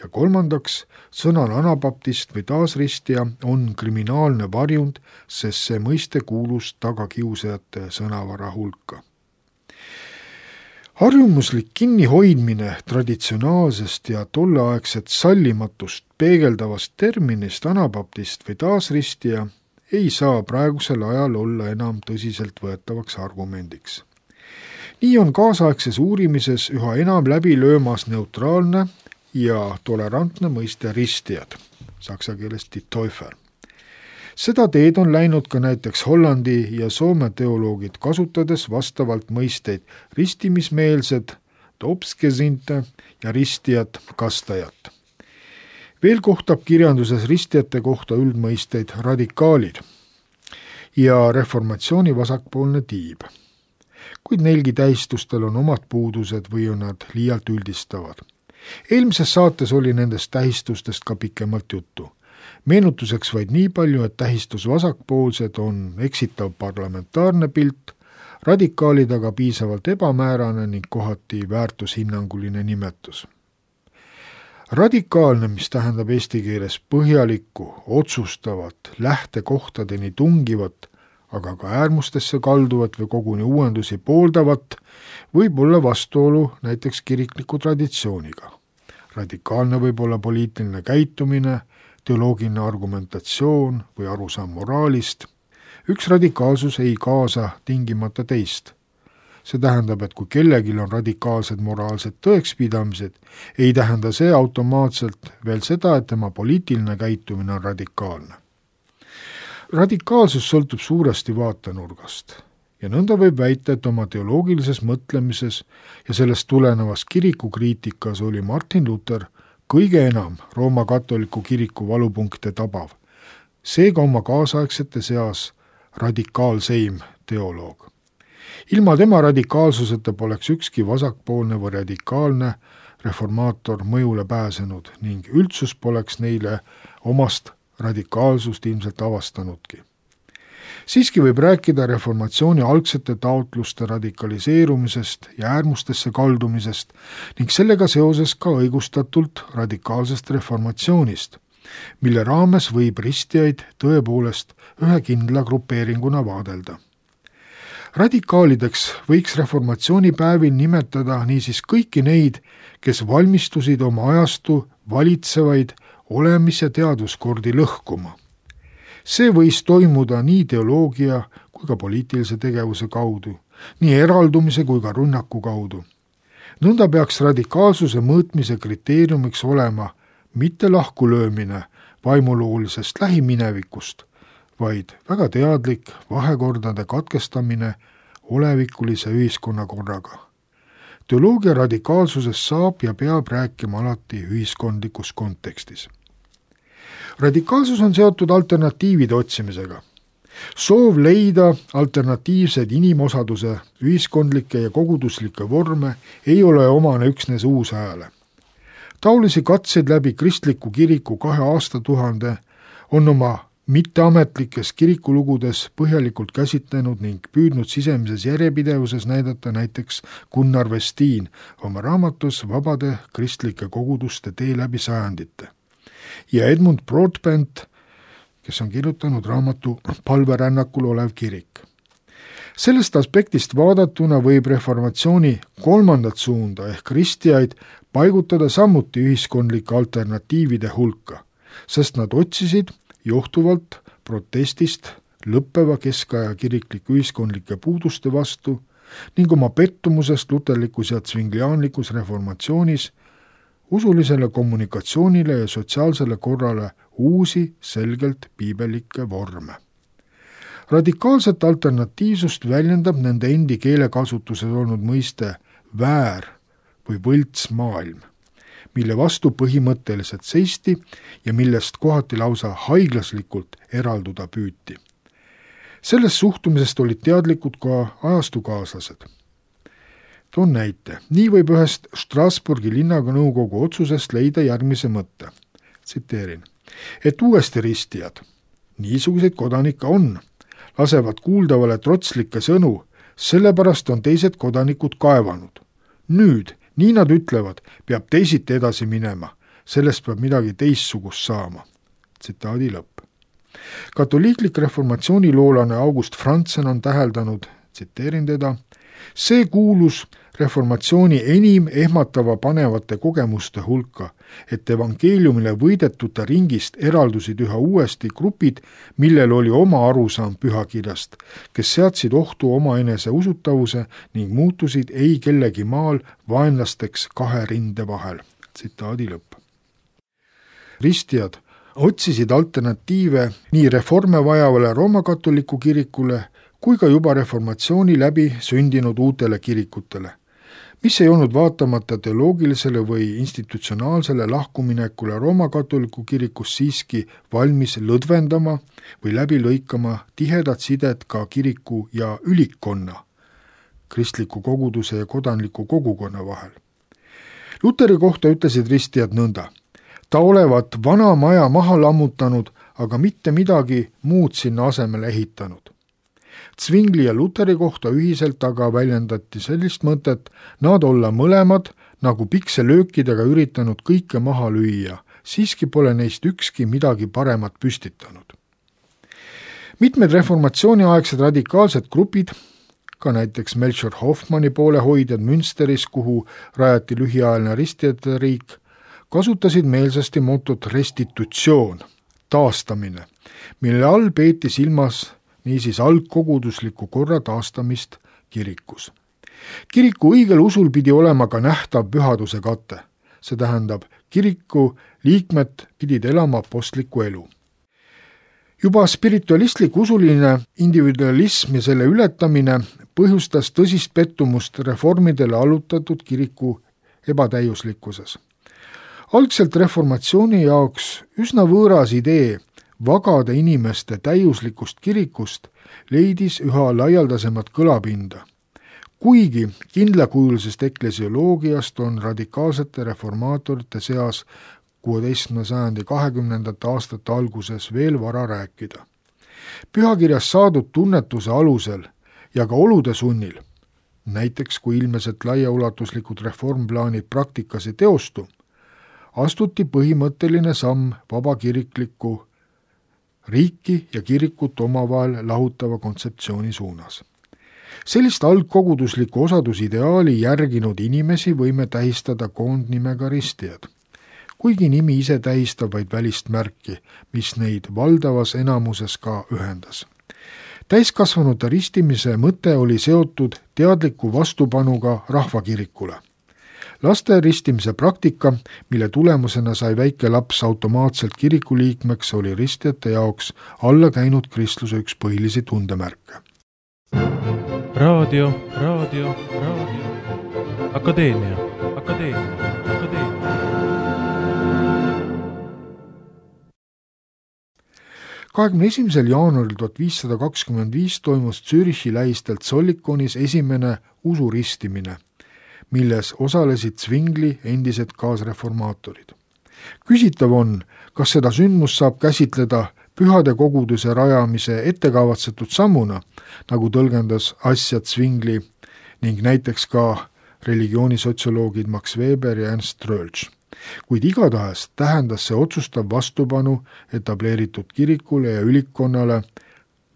Ja kolmandaks, sõnal anabaptist või taasristija on kriminaalne varjund, sest see mõiste kuulus tagakiusajate sõnavara hulka. Harjumuslik kinnihoidmine traditsionaalsest ja tolleaegset sallimatust peegeldavast terminist anabaptist või taasristija ei saa praegusel ajal olla enam tõsiselt võetavaks argumendiks. Nii on kaasaegses uurimises üha enam läbi löömas neutraalne ja tolerantne mõiste ristijad, saksa keeles die Täufer. Seda teed on läinud ka näiteks Hollandi ja Soome teoloogid, kasutades vastavalt mõisteid ristimismeelsed, Dopsgesinte ja ristijad, kastajat. Veel kohtab kirjanduses ristijate kohta üldmõisteid radikaalid ja reformatsiooni vasakpoolne tiib. Kuid neilgi tähistustel on omad puudused või on nad liialt üldistavad. Eelmises saates oli nendest tähistustest ka pikemalt juttu. Meenutuseks vaid nii palju, et tähistus vasakpoolsed on eksitav parlamentaarne pilt, radikaalid aga piisavalt ebamäärane ning kohati väärtushinnanguline nimetus. Radikaalne, mis tähendab eesti keeles põhjalikku, otsustavat, lähtekohtadeni tungivat, aga ka äärmustesse kalduvat või koguni uuendusi pooldavat, võib olla vastuolu näiteks kirikliku traditsiooniga. Radikaalne võib olla poliitiline käitumine, teoloogiline argumentatsioon või arusaam moraalist. Üks radikaalsus ei kaasa tingimata teist. See tähendab, et kui kellelgi on radikaalsed moraalsed tõekspidamised, ei tähenda see automaatselt veel seda, et tema poliitiline käitumine on radikaalne. Radikaalsus sõltub suuresti vaatenurgast ja nõnda võib väita, et oma teoloogilises mõtlemises ja sellest tulenevas kirikukriitikas oli Martin Luther kõige enam Rooma katoliku kiriku valupunkte tabav, seega oma kaasaegsete seas radikaalseim teoloog. Ilma tema radikaalsuseta poleks ükski vasakpoolne või radikaalne reformaator mõjule pääsenud ning üldsus poleks neile omast radikaalsust ilmselt avastanudki. Siiski võib rääkida reformatsiooni algsete taotluste radikaliseerumisest ja äärmustesse kaldumisest ning sellega seoses ka õigustatult radikaalsest reformatsioonist, mille raames võib ristijaid tõepoolest ühe kindla grupeeringuna vaadelda. Radikaalideks võiks reformatsioonipäevil nimetada niisiis kõiki neid, kes valmistusid oma ajastu valitsevaid olemis- ja teaduskordi lõhkuma. See võis toimuda nii teoloogia kui ka poliitilise tegevuse kaudu, nii eraldumise kui ka rünnaku kaudu. Nõnda peaks radikaalsuse mõõtmise kriteeriumiks olema mitte lahkulöömine vaimuloolisest lähiminevikust, vaid väga teadlik vahekordade katkestamine olevikulise ühiskonnakorraga. Teoloogia radikaalsusest saab ja peab rääkima alati ühiskondlikus kontekstis. Radikaalsus on seotud alternatiivide otsimisega. soov leida alternatiivseid inimosaduse ühiskondlikke ja koguduslikke vorme ei ole omane üksnes uusajale. Taolisi katseid läbi kristliku kiriku 2 aastatuhande on oma mitteametlikes kirikulugudes põhjalikult käsitlenud ning püüdnud sisemises järjepidevuses näidata näiteks Gunnar Westin oma raamatus Vabade kristlike koguduste tee läbi sajandite ja Edmund Broadbent, kes on kirjutanud raamatu Palverännakul olev kirik. Sellest aspektist vaadatuna võib reformatsiooni 3. suunda ehk kristjaid paigutada samuti ühiskondlike alternatiivide hulka, sest nad otsisid johtuvalt protestist lõppeva keskaja kirikliku ühiskondlike puuduste vastu ning oma pettumusest luterlikus ja tsvingliaanlikus reformatsioonis usulisele kommunikatsioonile ja sotsiaalsele korrale uusi selgelt piibelikke vorme. Radikaalset alternatiivsust väljendab nende endi keelekasutuses olnud mõiste väär või võlts maailm, mille vastu põhimõtteliselt seisti ja millest kohati lausa haiglaslikult eralduda püüti. Sellest suhtumisest olid teadlikud ka ajastukaaslased. Toon näite. Nii võib ühest Strasbourgi linnanõukogu otsusest leida järgmise mõtte. Tsiteerin. Et uuesti ristijad, niisuguseid kodanikke on, lasevad kuuldavale trotslikke sõnu, sellepärast on teised kodanikud kaevanud. Nüüd, nii nad ütlevad, peab teisiti edasi minema, sellest peab midagi teistsugust saama. Tsitaadi lõpp. Katoliiklik reformatsiooniloolane August Franzen on täheldanud, tsiteerin teda, see kuulus reformatsiooni enim ehmatava panevate kogemuste hulka, et evangeeliumile võidetute ringist eraldusid üha uuesti grupid, millel oli oma arusaam pühakirjast, kes seadsid ohtu omaenese usutavuse ning muutusid ei kellegi maal vaenlasteks 2 rinde vahel. Tsitaadi lõpp. Ristijad otsisid alternatiive nii reforme vajavale roomakatoliku kirikule kui ka juba reformatsiooni läbi sündinud uutele kirikutele, mis ei olnud vaatamata teoloogilisele või institutsionaalsele lahkuminekule roomakatoliku kirikus siiski valmis lõdvendama või läbi lõikama tihedat sidet ka kiriku ja ülikkonna, kristliku koguduse ja kodanliku kogukonna vahel. Luteri kohta ütlesid ristijad nõnda. Ta olevat vana maja maha lammutanud, aga mitte midagi muud sinna asemele ehitanud. Zwingli ja Luteri kohta ühiselt aga väljendati sellist mõtet, nad olla mõlemad nagu pikselöökidega üritanud kõike maha lüüa, siiski pole neist ükski midagi paremat püstitanud. Mitmed reformatsiooniaegsed radikaalsed grupid, ka näiteks Melchior Hoffmanni poolehoidjad Münsteris, kuhu rajati lühiajaline ristijate riik, kasutasid meelsasti motot restitutsioon, taastamine, mille all peeti silmas niisiis algkogudusliku korra taastamist kirikus. Kiriku õigel usul pidi olema ka nähtav pühaduse kate, see tähendab, kiriku liikmed pidid elama apostliku elu. Juba spiritualistlik usuline individualism ja selle ületamine põhjustas tõsist pettumust reformidele allutatud kiriku ebatäiuslikkuses. Algselt reformatsiooni jaoks üsna võõras idee vagade inimeste täiuslikust kirikust leidis üha laialdasemat kõlapinda. Kuigi kindlakujulisest eklesioloogiast on radikaalsete reformaatorite seas 16. sajandi 20. aastate alguses veel vara rääkida. Pühakirjas saadud tunnetuse alusel ja ka olude sunnil, näiteks kui ilmeselt laiaulatuslikud reformplaanid praktikas ei teostu, astuti põhimõtteline samm vabakirikliku riiki ja kirikut omavahel lahutava kontseptsiooni suunas. Sellist algkogudusliku osadusideaali järginud inimesi võime tähistada koondnimega ristijad, kuigi nimi ise tähistab vaid välist märki, mis neid valdavas enamuses ka ühendas. Täiskasvanute ristimise mõte oli seotud teadliku vastupanuga rahvakirikule. Laste ristimise praktika, mille tulemusena sai väike laps automaatselt kirikuliikmeks, oli ristijate jaoks alla käinud kristluse üks põhilisi tundemärke. Raadio. Akadeemia. 21. jaanuaril 1525 toimus Zürichi lähistelt Zollikonis esimene usuristimine, milles osalesid Zwingli endised kaasreformaatorid. Küsitav on, kas seda sündmust saab käsitleda pühade koguduse rajamise ettekavatsetud sammuna, nagu tõlgendas asja Zwingli ning näiteks ka religioonisotsioloogid Max Weber ja Ernst Röhlsch. Kuid igatahes tähendas see otsustav vastupanu etableeritud kirikule ja ülikkonnale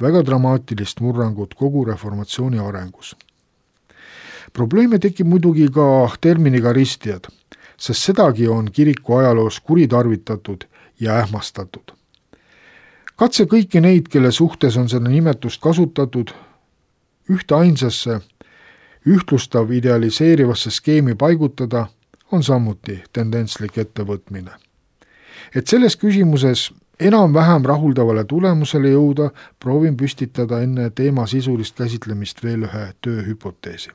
väga dramaatilist murrangut kogu reformatsiooni arengus. Probleeme tekib muidugi ka terminiga ristijad, sest sedagi on kiriku ajaloos kuritarvitatud ja ähmastatud. Katse kõiki neid, kelle suhtes on seda nimetust kasutatud, ühte ainsasse, ühtlustav idealiseerivasse skeemi paigutada, on samuti tendentslik ettevõtmine. Et selles küsimuses enam-vähem rahuldavale tulemusele jõuda, proovin püstitada enne teema sisulist käsitlemist veel ühe tööhüpoteesi.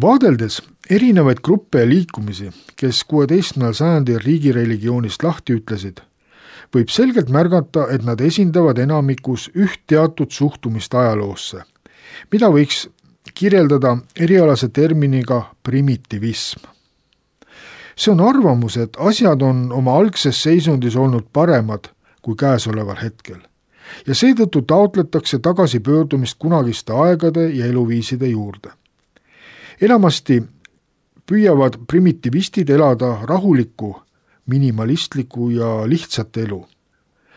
Vaadeldes erinevaid gruppe ja liikumisi, kes 16. sajandil riigireligioonist lahti ütlesid, võib selgelt märgata, et nad esindavad enamikus üht teatud suhtumist ajaloosse, mida võiks kirjeldada erialase terminiga primitivism. See on arvamus, et asjad on oma algses seisundis olnud paremad kui käesoleval hetkel ja seetõttu taotletakse tagasipöördumist kunagiste aegade ja eluviiside juurde. Enamasti püüavad primitivistid elada rahulikku, minimalistlikku ja lihtsat elu.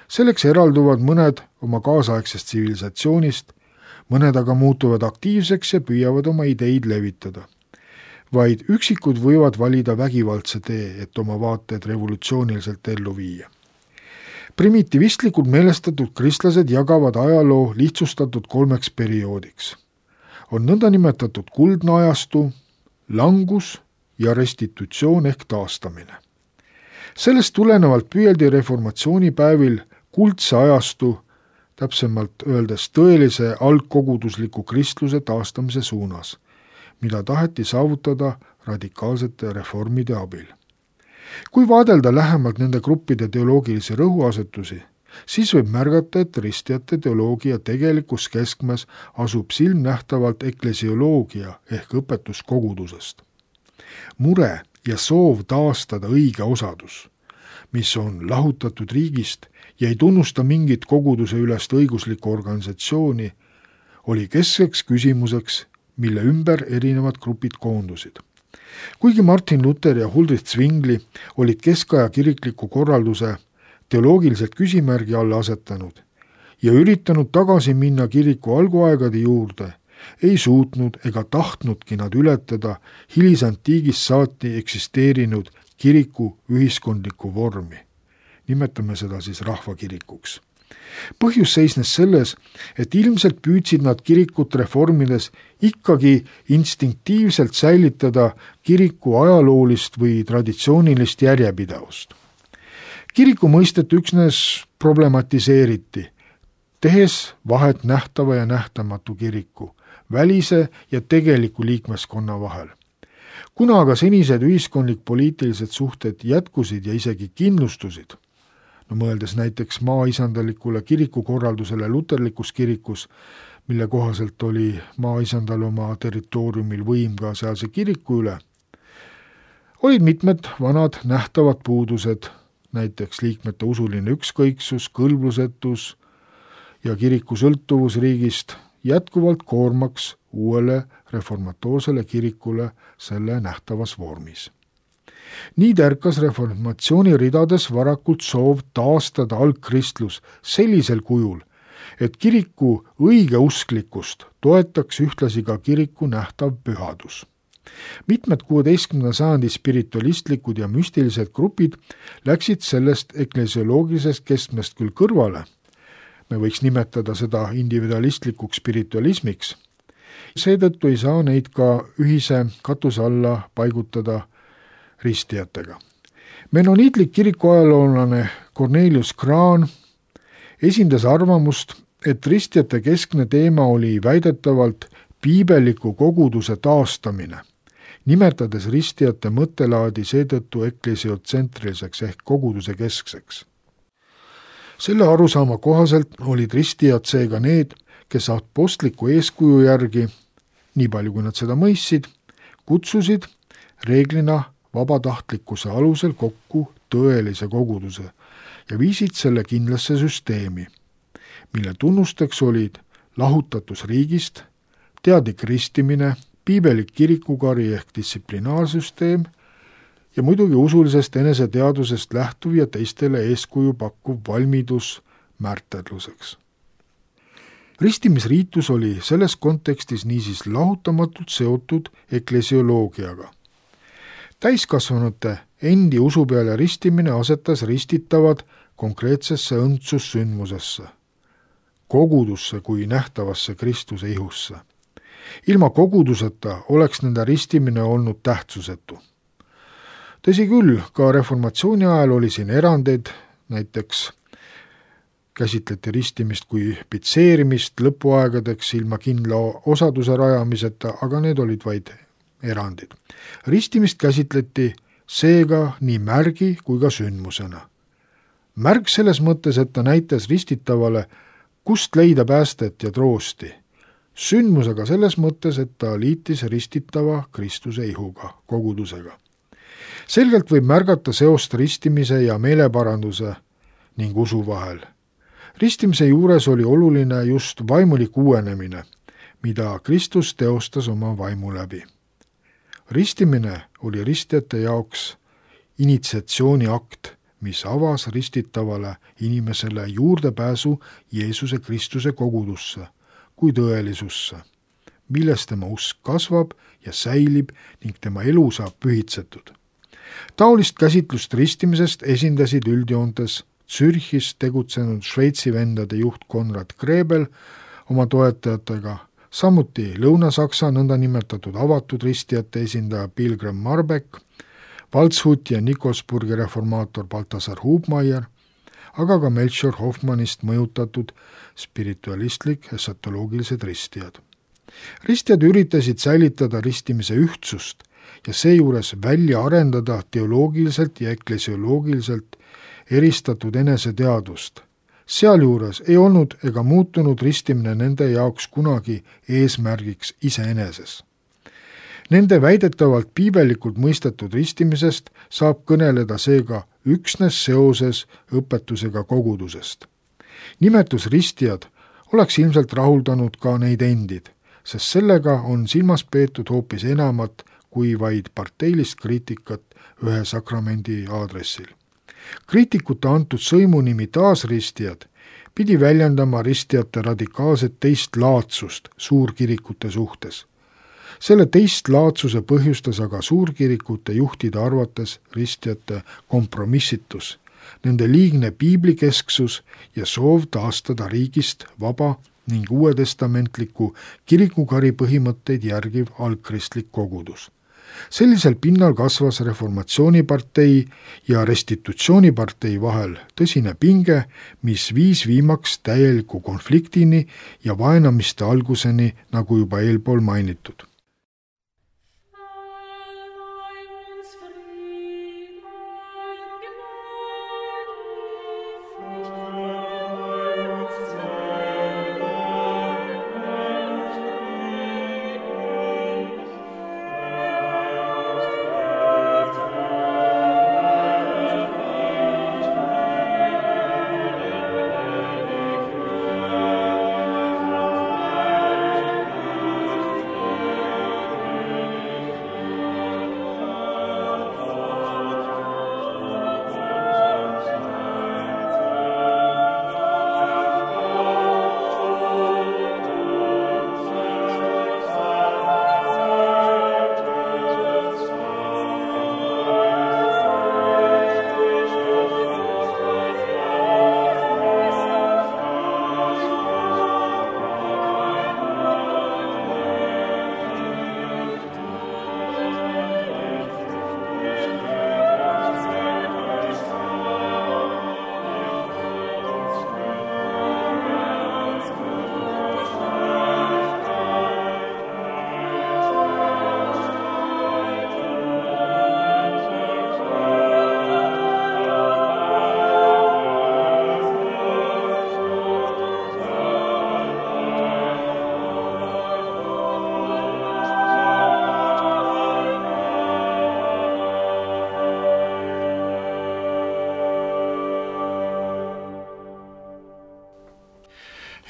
Selleks eralduvad mõned oma kaasaegsest tsivilisatsioonist, mõned aga muutuvad aktiivseks ja püüavad oma ideid levitada. Vaid üksikud võivad valida vägivaldse tee, et oma vaated revolutsiooniliselt ellu viia. Primitivistlikult meelestatud kristlased jagavad ajaloo lihtsustatud 3 perioodiks. On nõndanimetatud kuldne ajastu, langus ja restitutsioon ehk taastamine. Sellest tulenevalt püüeldi reformatsioonipäevil kuldse ajastu, täpsemalt öeldes tõelise algkogudusliku kristluse taastamise suunas, mida taheti saavutada radikaalsete reformide abil. Kui vaadelda lähemalt nende gruppide teoloogilisi rõhuasetusi, siis võib märgata, et ristijate teoloogia tegelikus keskmes asub silmnähtavalt eklesioloogia ehk õpetus kogudusest. Mure ja soov taastada õige osadus, mis on lahutatud riigist ja ei tunnusta mingit koguduse ülest õiguslikku organisatsiooni, oli keskseks küsimuseks, mille ümber erinevad grupid koondusid. Kuigi Martin Luther ja Huldrych Zwingli olid keskaja kirikliku korralduse teoloogiliselt küsimärgi alla asetanud ja üritanud tagasi minna kiriku alguaegade juurde, ei suutnud ega tahtnudki nad ületada hilisantiigist saati eksisteerinud kiriku ühiskondlikku vormi. Nimetame seda siis rahvakirikuks. Põhjus seisnes selles, et ilmselt püüdsid nad kirikut reformides ikkagi instinktiivselt säilitada kiriku ajaloolist või traditsioonilist järjepidavust. Kiriku mõistet üksnes problematiseeriti, tehes vahet nähtava ja nähtamatu kiriku, välise ja tegeliku liikmeskonna vahel. Kuna aga senised ühiskondlik-poliitilised suhted jätkusid ja isegi kindlustusid, mõeldes näiteks maaisandalikule kirikukorraldusele luterlikus kirikus, mille kohaselt oli maaisandal oma territooriumil võim ka sealse kiriku üle, olid mitmed vanad nähtavad puudused, näiteks liikmete usuline ükskõiksus, kõlblusetus ja kiriku sõltuvus riigist jätkuvalt koormaks uuele reformatoorsele kirikule selle nähtavas vormis. Nii tärkas reformatsiooni ridades varakult soov taastada algkristlus sellisel kujul, et kiriku õigeusklikkust toetaks ühtlasi ka kiriku nähtav pühadus. Mitmed 16. sajandi spiritualistlikud ja müstilised grupid läksid sellest eklesioloogilisest keskmest küll kõrvale, me võiks nimetada seda individualistlikuks spiritualismiks, seetõttu ei saa neid ka ühise katuse alla paigutada ristijatega. Menoniitlik kirikuajaloolane Cornelius Krahn esindas arvamust, et ristijate keskne teema oli väidetavalt piibeliku koguduse taastamine, nimetades ristijate mõttelaadi seetõttu eklesiootsentriliseks ehk koguduse keskseks. selle arusaama kohaselt olid ristijad seega need, kes apostliku eeskuju järgi, nii palju kui nad seda mõistsid, kutsusid reeglina vabatahtlikkuse alusel kokku tõelise koguduse ja viisid selle kindlasse süsteemi, mille tunnusteks olid lahutatus riigist, teadlik ristimine, piibelik kirikukari ehk distsiplinaarsüsteem ja muidugi usulisest eneseteadusest lähtuv ja teistele eeskuju pakkuv valmidus märterluseks. Ristimisriitus oli selles kontekstis niisiis lahutamatult seotud eklesioloogiaga. Täiskasvanute endi usu peale ristimine asetas ristitavad konkreetsesse õndsussündmusesse, kogudusse kui nähtavasse Kristuse ihusse. Ilma koguduseta oleks nende ristimine olnud tähtsusetu. Tõsi küll, ka reformatsiooni ajal oli siin erandeid, näiteks käsitleti ristimist kui pitseerimist lõpuaegadeks ilma kindla osaduse rajamiseta, aga need olid vaid erandid. Ristimist käsitleti seega nii märgi kui ka sündmusena. Märg selles mõttes, et ta näitas ristitavale, kust leida päästet ja troosti. Sündmusega selles mõttes, et ta liitis ristitava Kristuse ihuga, kogudusega. Selgelt võib märgata seost ristimise ja meeleparanduse ning usu vahel. Ristimise juures oli oluline just vaimulik uuenemine, mida Kristus teostas oma vaimu läbi. Ristimine oli ristijate jaoks initsiatsiooniakt, mis avas ristitavale inimesele juurdepääsu Jeesuse Kristuse kogudusse kui tõelisusse, milles tema usk kasvab ja säilib ning tema elu saab pühitsetud. Taolist käsitlust ristimisest esindasid üldjoontes Zürchis tegutsenud Šveitsi vendade juht Konrad Grebel oma toetajatega, samuti Lõuna-Saksa nõndanimetatud avatud ristijate esindaja Pilgrim Marbeck, Waldshuti ja Nikosburgi reformaator Balthasar Hubmeier, aga ka Melchior Hoffmannist mõjutatud spiritualistlik esatoloogilised ristijad. Ristijad üritasid säilitada ristimise ühtsust ja seejuures välja arendada teoloogiliselt ja eklesioloogiliselt eristatud eneseteadvust. Sealjuures ei olnud ega muutunud ristimine nende jaoks kunagi eesmärgiks iseeneses. Nende väidetavalt piibelikult mõistetud ristimisest saab kõneleda seega üksnes seoses õpetusega kogudusest. Nimetus ristijad oleks ilmselt rahuldanud ka neid endid, sest sellega on silmas peetud hoopis enamat kui vaid parteilist kriitikat ühe sakramendi aadressil. Kriitikute antud sõimunimi taasristijad pidi väljendama ristijate radikaalset teistlaadsust suurkirikute suhtes. Selle teistlaadsuse põhjustas aga suurkirikute juhtide arvates ristijate kompromissitus, nende liigne piiblikesksus ja soov taastada riigist vaba ning uuetestamentliku kirikukari põhimõtteid järgiv algkristlik kogudus. Sellisel pinnal kasvas reformatsioonipartei ja restitutsioonipartei vahel tõsine pinge, mis viis viimaks täieliku konfliktini ja vaenamiste alguseni, nagu juba eelpool mainitud.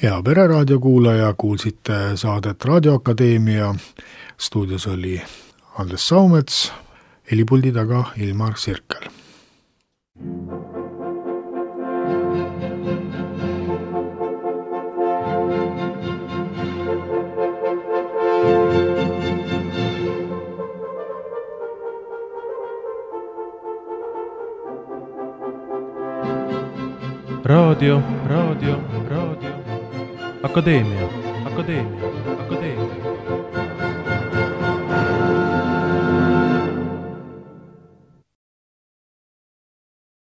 hea Pereraadio kuulaja, kuulsite saadet Raadioakadeemia. Stuudios oli Andres Saumets, helipuldi taga Ilmar Sirkel. Raadio. Akadeemia.